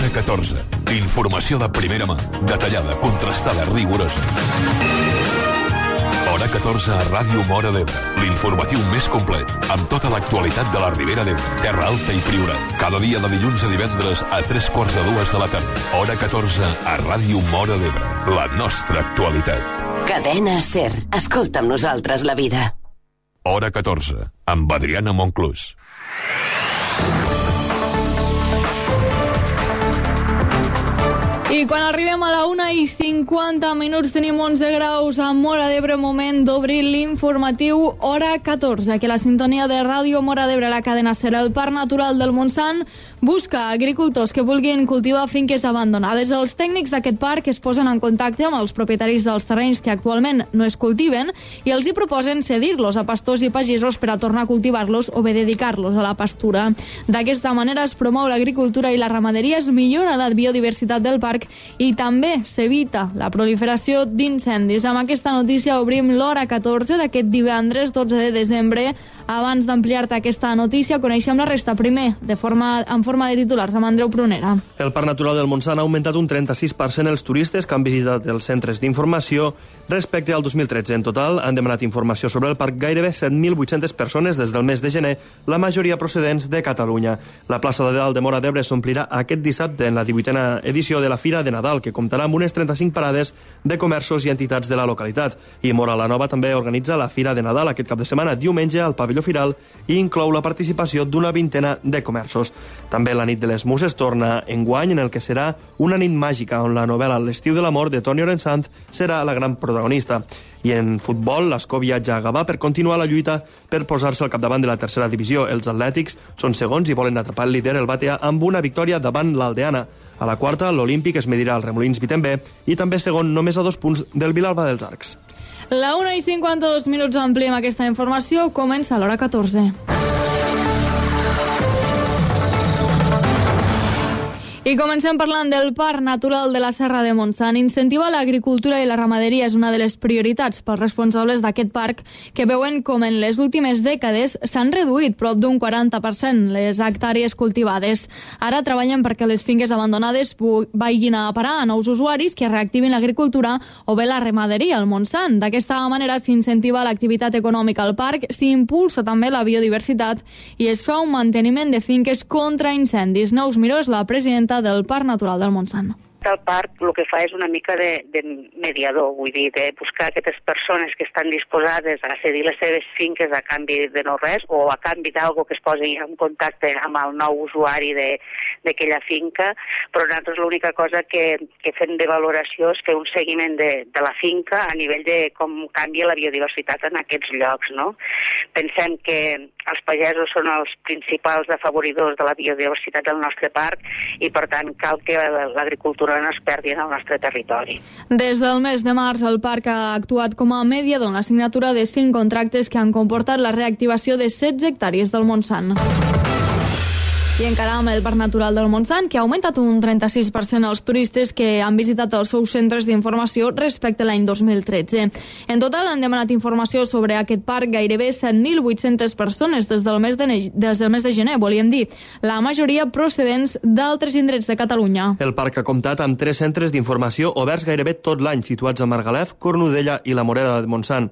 Hora 14. Informació de primera mà, detallada, contrastada, rigorosa. Hora 14 a Ràdio Móra d'Ebre. L'informatiu més complet, amb tota l'actualitat de la Ribera d'Ebre, Terra Alta i Priorat. Cada dia de dilluns a divendres a 3:45 de la tarda. Hora 14 a Ràdio Móra d'Ebre. La nostra actualitat. Cadena SER. Escolta amb nosaltres la vida. Hora 14, amb Adriana Monclús. I quan arribem a la 1:50 tenim 11 graus a Móra d'Ebre, moment d'obrir l'informatiu Hora 14, que la sintonia de Ràdio Móra d'Ebre, la cadena SER. El Parc Natural del Montsant busca agricultors que vulguin cultivar finques abandonades. Els tècnics d'aquest parc es posen en contacte amb els propietaris dels terrenys que actualment no es cultiven i els hi proposen cedir-los a pastors i pagesos per a tornar a cultivar-los o bé dedicar-los a la pastura. D'aquesta manera es promou l'agricultura i la ramaderia, es millora la biodiversitat del parc i també s'evita la proliferació d'incendis. Amb aquesta notícia obrim l'Hora 14 d'aquest divendres 12 de desembre. Abans d'ampliar-te aquesta notícia, coneixem la resta. Primer, en forma de titulars, amb Andreu Prunera. El Parc Natural del Montsant ha augmentat un 36% els turistes que han visitat els centres d'informació respecte al 2013. En total, han demanat informació sobre el parc gairebé 7.800 persones des del mes de gener, la majoria procedents de Catalunya. La plaça de Dalt de Móra d'Ebre s'omplirà aquest dissabte en la 18a edició de la Fira de Nadal, que comptarà amb unes 35 parades de comerços i entitats de la localitat. I Móra la Nova també organitza la Fira de Nadal aquest cap de setmana, diumenge, al pavelló Firal, i inclou la participació d'una vintena de comerços. També la nit de les Muses torna enguany, en el que serà una nit màgica, on la novel·la L'estiu de l'amor de Toni Orensanz serà la gran protagonista. I en futbol, l'Escó viatja a Gavà per continuar la lluita per posar-se al capdavant de la tercera divisió. Els atlètics són segons i volen atrapar el líder, el Batea, amb una victòria davant l'Aldeana. A la quarta, l'Olímpic es medirà al Remolins Vitember i també segon, només a 2 punts del Vilalba dels Arcs. La 1:52 ampliem aquesta informació. Comença l'Hora 14. I comencem parlant del Parc Natural de la Serra de Montsant. Incentivar l'agricultura i la ramaderia és una de les prioritats pels responsables d'aquest parc, que veuen com en les últimes dècades s'han reduït prop d'un 40% les hectàrees cultivades. Ara treballen perquè les finques abandonades vagin a parar a nous usuaris que reactivin l'agricultura o bé la ramaderia al Montsant. D'aquesta manera s'incentiva l'activitat econòmica al parc, s'impulsa també la biodiversitat i es fa un manteniment de finques contra incendis. Neus Miró és la presidenta del Parc Natural del Montsant. El parc el que fa és una mica de mediador, vull dir, de buscar aquestes persones que estan disposades a cedir les seves finques a canvi de no res o a canvi d'algo que es posi en contacte amb el nou usuari d'aquella finca, però nosaltres l'única cosa que fem de valoració és fer un seguiment de la finca a nivell de com canvia la biodiversitat en aquests llocs, no? Pensem que els pagesos són els principals afavoridors de la biodiversitat del nostre parc i, per tant, cal que l'agricultura no es perdi en el nostre territori. Des del mes de març, el parc ha actuat com a mediador en la signatura de 5 contractes que han comportat la reactivació de 16 hectàrees del Montsant. I encara amb el Parc Natural del Montsant, que ha augmentat un 36% els turistes que han visitat els seus centres d'informació respecte a l'any 2013. En total han demanat informació sobre aquest parc gairebé 7.800 persones des del mes de gener, volíem dir, la majoria procedents d'altres indrets de Catalunya. El parc ha comptat amb 3 centres d'informació oberts gairebé tot l'any, situats a Margalef, Cornudella i la Morera de Montsant.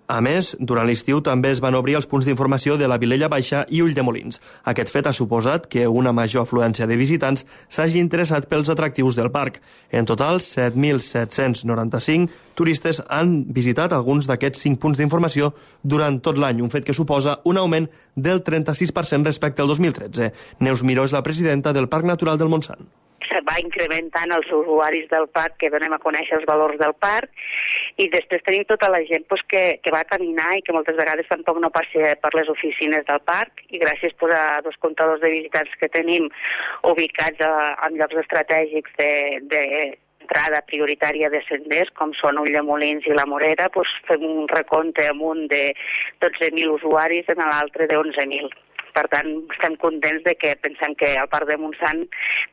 A més, durant l'estiu també es van obrir els punts d'informació de la Vilella Baixa i Ulldemolins. Aquest fet ha suposat que una major afluència de visitants s'hagi interessat pels atractius del parc. En total, 7.795 turistes han visitat alguns d'aquests 5 punts d'informació durant tot l'any, un fet que suposa un augment del 36% respecte al 2013. Neus Miró és la presidenta del Parc Natural del Montsant. Va incrementant els usuaris del parc que donem a conèixer els valors del parc i després tenim tota la gent que va caminar i que moltes vegades tampoc no passa per les oficines del parc i gràcies a 2 comptadors de visitants que tenim ubicats en llocs estratègics d'entrada prioritària de senders com són Ulldemolins i la Morera, fem un recompte amb un de 12.000 usuaris i en l'altre de 11.000. Per tant, estem contents de que pensem que el Parc de Montsant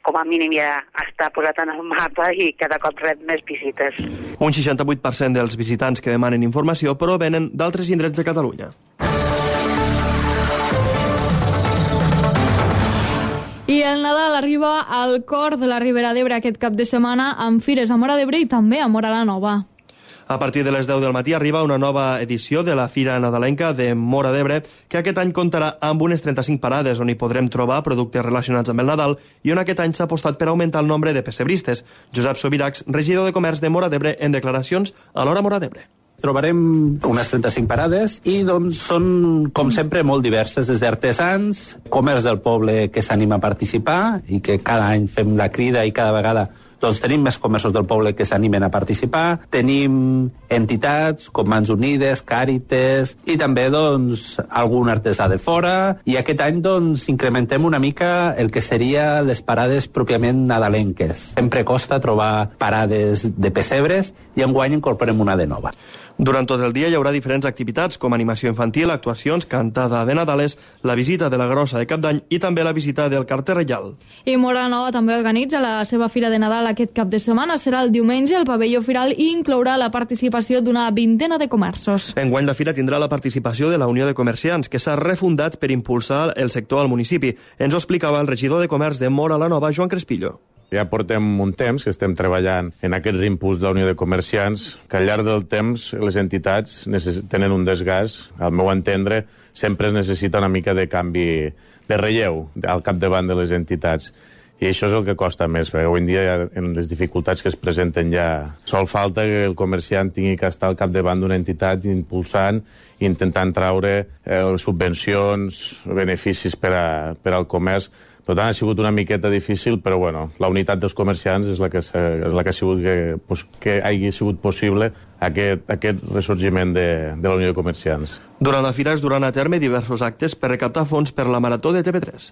com a mínim ja està posat en el mapa i cada cop rep més visites. Un 68% dels visitants que demanen informació provenen d'altres indrets de Catalunya. I el Nadal arriba al cor de la Ribera d'Ebre aquest cap de setmana amb fires a Móra d'Ebre i també a Móra la Nova. A partir de les 10 del matí arriba una nova edició de la Fira Nadalenca de Móra d'Ebre, que aquest any comptarà amb unes 35 parades on hi podrem trobar productes relacionats amb el Nadal i on aquest any s'ha apostat per augmentar el nombre de pessebristes. Josep Sobiracs, regidor de Comerç de Móra d'Ebre, en declaracions a l'Hora Móra d'Ebre. Trobarem unes 35 parades i doncs són, com sempre, molt diverses, des d'artesans, comerç del poble que s'anima a participar i que cada any fem la crida i cada vegada doncs tenim més comerços del poble que s'animen a participar, tenim entitats com Mans Unides, Càrites i també doncs algun artesà de fora, i aquest any doncs incrementem una mica el que seria les parades pròpiament nadalenques. Sempre costa trobar parades de pessebres i enguany incorporem una de nova. Durant tot el dia hi haurà diferents activitats com animació infantil, actuacions, cantada de Nadales, la visita de la Grossa de Cap d'Any i també la visita del carter reial. I Móra la Nova també organitza la seva Fira de Nadal aquest cap de setmana. Serà el diumenge al pavelló Firal i inclourà la participació d'una vintena de comerços. Enguany la fira tindrà la participació de la Unió de Comerciants, que s'ha refundat per impulsar el sector al municipi. Ens ho explicava el regidor de Comerç de Móra la Nova, Joan Crespillo. Ja portem un temps que estem treballant en aquest reimpuls de la Unió de Comerciants, que al llarg del temps les entitats tenen un desgast. Al meu entendre, sempre es necessita una mica de canvi de relleu al capdavant de les entitats. I això és el que costa més, perquè avui en dia, en les dificultats que es presenten, ja sol falta que el comerciant tingui que estar al capdavant d'una entitat impulsant i intentant traure subvencions, beneficis per al comerç. Per tant, ha sigut una miqueta difícil, però bueno, la unitat dels comerciants és la que ha sigut que hagi sigut possible aquest ressorgiment de la Unió de Comerciants. Durant la fira es duran a terme diversos actes per recaptar fons per la Marató de TV3.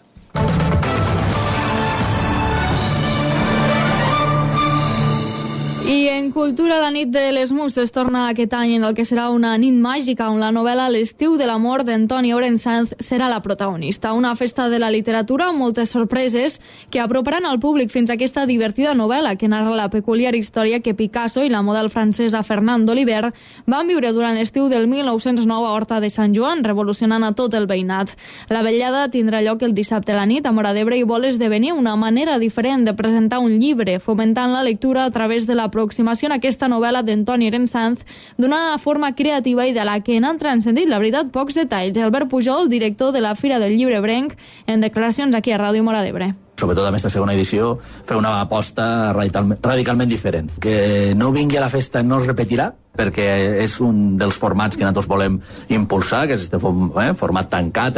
I en cultura, la nit de les Mustes torna aquest any en el que serà una nit màgica on la novel·la L'estiu de l'amor d'Antoni Orensanz serà la protagonista. Una festa de la literatura amb moltes sorpreses que aproparan al públic fins a aquesta divertida novel·la que narra la peculiar història que Picasso i la model francesa Fernande Oliver van viure durant l'estiu del 1909 a Horta de Sant Joan, revolucionant a tot el veïnat. La vetllada tindrà lloc el dissabte a la nit a Móra d'Ebre i vol esdevenir una manera diferent de presentar un llibre, fomentant la lectura a través de l'aproximació a aquesta novel·la d'Antoni Orensanz d'una forma creativa i de la que n'han transcendit, la veritat, pocs detalls. Albert Pujol, director de la Fira del Llibre Brenc, en declaracions aquí a Ràdio Móra d'Ebre. Sobretot amb aquesta segona edició, fer una aposta radicalment diferent. Que no vingui a la festa no es repetirà, perquè és un dels formats que nosaltres volem impulsar, que és este format tancat,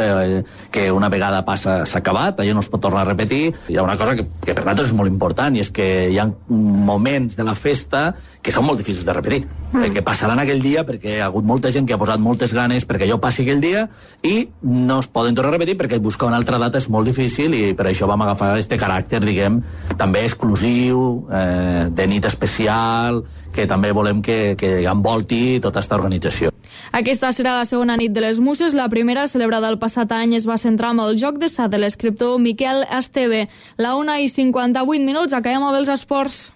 que una vegada passa s'ha acabat, allò no es pot tornar a repetir. Hi ha una cosa que per nosaltres és molt important, i és que hi ha moments de la festa que són molt difícils de repetir, perquè passaran aquell dia, perquè hi ha hagut molta gent que ha posat moltes ganes perquè allò passi aquell dia, i no es poden tornar a repetir perquè buscar una altra data és molt difícil, i per això vam agafar este caràcter, diguem, també exclusiu, de nit especial, que també volem que envolti tota aquesta organització. Aquesta serà la segona nit de les Muses. La primera, celebrada el passat any, es va centrar amb el joc de sa de l'escriptor Miquel Esteve. La 1:58, acabem amb els esports.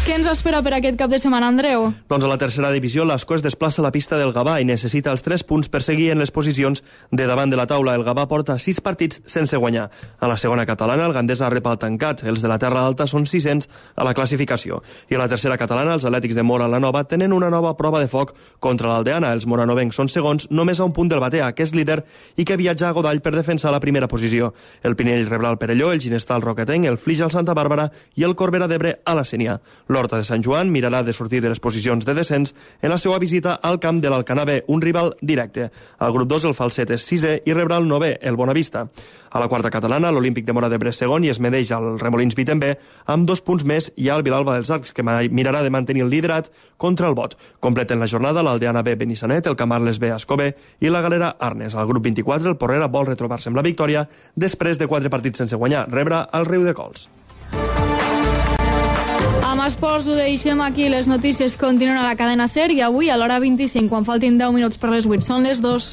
Què ens espera per aquest cap de setmana, Andreu? Doncs a la tercera divisió, l'Ascó es desplaça a la pista del Gavà i necessita els 3 punts per seguir en les posicions de davant de la taula. El Gavà porta 6 partits sense guanyar. A la segona catalana, el Gandesa rep el tancat. Els de la Terra Alta són 600 a la classificació. I a la tercera catalana, els Atlètics de Móra la Nova tenen una nova prova de foc contra l'Aldeana. Els moranovencs són segons, només a un punt del Batea, que és líder i que viatja a Godall per defensar la primera posició. El Pinell rebrà el Perelló, el Ginestar al Roquetenc, el Flix al Santa Bàrbara i el Corbera d'Ebre a la Sénia. L'Horta de Sant Joan mirarà de sortir de les posicions de descens en la seva visita al camp de l'Alcanar B, un rival directe. Al grup 2 el Falset és 6è i rebrà el 9è, el Bonavista. A la quarta catalana, l'Olímpic de Móra d'Ebre segon i es medeix al Remolins Vitem B amb 2 punts més i al Vilalba dels Arcs, que mirarà de mantenir el liderat contra el Bot. Completen la jornada l'Aldeana B Benissanet, el Camarles B Ascó B i la Galera Arnes. Al grup 24 el Porrera vol retrobar-se amb la victòria després de 4 partits sense guanyar. Rebrà el Riu de Cols. Amb esports ho deixem aquí. Les notícies continuen a la cadena SER i avui a l'hora 25, quan faltin 10 minuts per les 8. Són les 2.